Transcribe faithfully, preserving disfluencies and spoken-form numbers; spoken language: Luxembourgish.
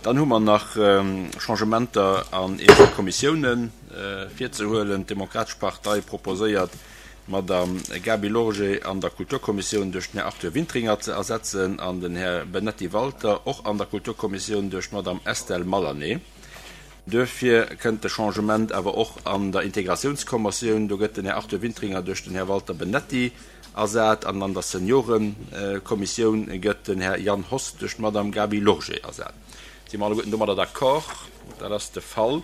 Dann hu mer nach Changementer an eenzel Kommissiounen virzehuelen. D'Demokratesch Partei proposéiert, d'Madame Gaby Lorgé an der Kulturkommissioun duerch den Här Arthur Wintringer ze ersetzen an den Här Benetti Walter och an der Kulturkommissioun duerch d'Madame Estelle Malané. Duerfir kënnt de Changement awer och an der Integratiounskommissioun. Do gëtt den Här Arthur Wintringer duerch den Här Walter Benetti ersat an an der Seniorekommissioun gëtt den Här Jan Hoss duerch d'Madame Gaby Lorgé ersat. Si mer alleguerten domadder d'accord? Dat ass de Fall.